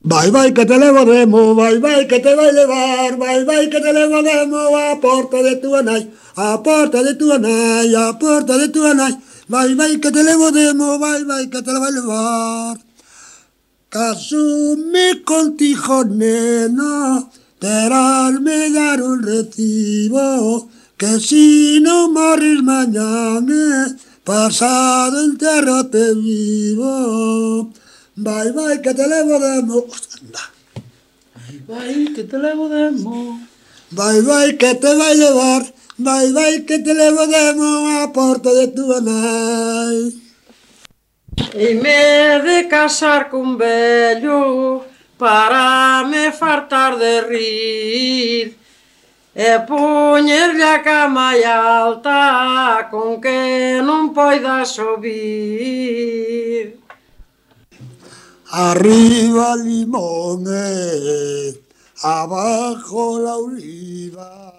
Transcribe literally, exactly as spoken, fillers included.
Vai, vai, que te levo demo, vai, vai, que te vai levar, vai, vai, que te levo demo a porta de tua nai, a porta de tua nai, a porta de tua nai, vai, vai, que te levo demo, vai, vai, que te la vai levar. Casume contigo, nena, terásme dar un recibo, que si no morris mañana, pasado entierro te vivo. Vai, vai, que te levo demo. Vai, que te levo demo. Vai, vai, que te vai levar. Vai, vai, que te levo demo a porta de tua nai. E me de casar cun vello para me fartar de rir e poñerlle a cama alta con que non poida subir. Arriba limones, abajo la oliva.